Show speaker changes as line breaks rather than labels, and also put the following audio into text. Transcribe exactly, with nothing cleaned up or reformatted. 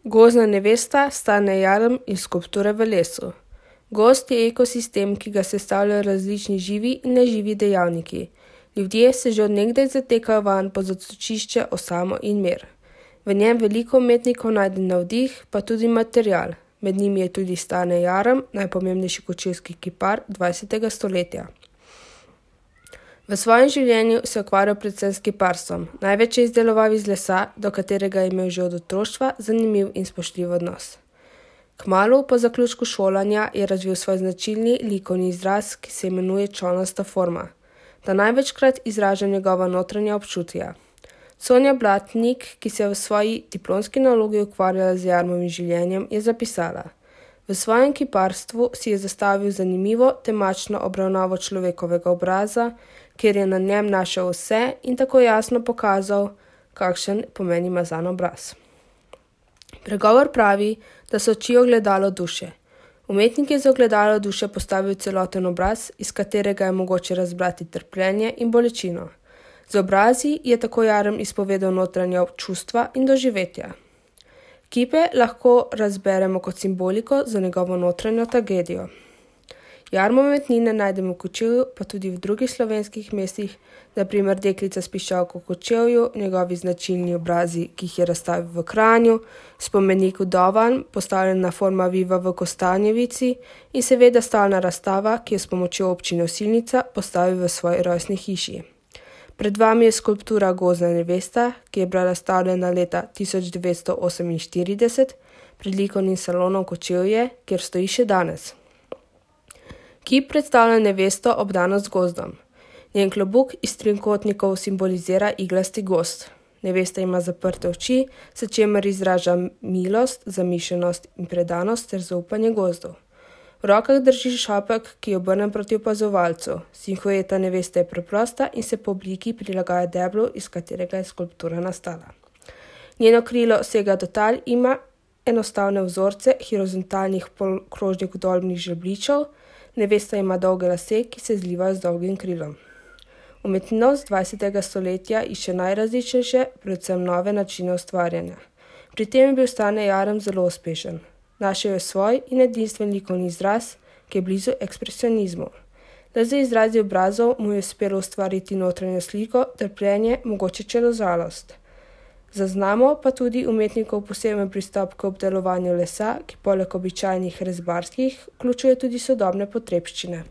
Gozdna nevesta Stane Jarm iz Skulpture v lesu. Gozd je ekosistem, ki ga sestavljajo različni živi in neživi dejavniki. Ljudje se že od nekdaj zatekajo vanj po zatočišče, osamo in mir. V njem veliko umetnikov najde navdih, pa tudi material. Med njimi je tudi Stane Jarm, najpomembnejši kočevski kipar dvajsetega stoletja. V svojem življenju se je ukvarjal predvsem s kiparstvom. Največ je izdeloval iz lesa, do katerega je imel že od otroštva zanimiv in spoštljiv odnos. Kmalu po zaključku šolanja je razvil svoj značilni likovni izraz, ki se imenuje čolnasta forma. Ta največkrat izraža njegova notranja občutja. Sonja Blatnik, ki se je v svoji diplomski nalogi ukvarjala z Jarmovim življenjem, je zapisala: V svojem kiparstvu si je zastavil zanimivo temačno obravnavo človekovega obraza, kjer je na njem našel vse in tako jasno pokazal, kakšen pomen ima zanj obraz. Pregovor pravi, da so oči ogledalo duše. Umetnik je za ogledalo duše postavil celoten obraz, iz katerega je mogoče razbrati trpljenje in bolečino. Z obrazi je tako Jarm izpovedal notranja čustva in doživetja. Kipe lahko razberemo kot simboliko za njegovo notranjo tragedijo. Jarmove umetnine najdemo v Kočevju, pa tudi v drugih slovenskih mestih, na primer deklica s piščalko v Kočevju, njegovi značilni obrazi, ki jih je razstavil v Kranju, spomenik Vdovan, postavljena forma Viva v Kostanjevici in seveda stalna razstava, ki jo s pomočjo občine Osilnica postavil v svoji rojstni hiši. Pred vami je skulptura Gozdna nevesta, ki je bila razstavljena leta tisoč devetsto oseminštirideset pred likovnim salonom Kočevje, kjer stoji še danes. Kip predstavlja nevesto obdano z gozdom. Njen klobuk iz trikotnikov simbolizira iglasti gozd. Nevesta ima zaprte oči, s čimer izraža milost, zamišljenost in predanost ter zaupanje gozdu. V rokah drži šopek, ki je obrnen proti opazovalcu. Silhueta neveste je preprosta in se po obliki prilagaja deblu, iz katerega je skulptura nastala. Njeno krilo sega do tal, ima enostavne vzorce horizontalnih polkrožnih vdolbnih žebljičev. Nevesta ima dolge lase, ki se zlivajo z dolgim krilom. Umetnost dvajsetega stoletja išče najrazličnejše, predvsem nove načine ustvarjanja. Pri tem je bil Stane Jarm zelo uspešen. Našel je svoj in edinstven likovni izraz, ki je blizu ekspresionizmu. Le za izrazi obrazov mu je uspelo ustvariti notranjo sliko, trpljenje, mogoče celo žalost. Zaznamo pa tudi umetnikov poseben pristop k obdelovanju lesa, ki poleg običajnih rezbarskih vključuje tudi sodobne potrebščine.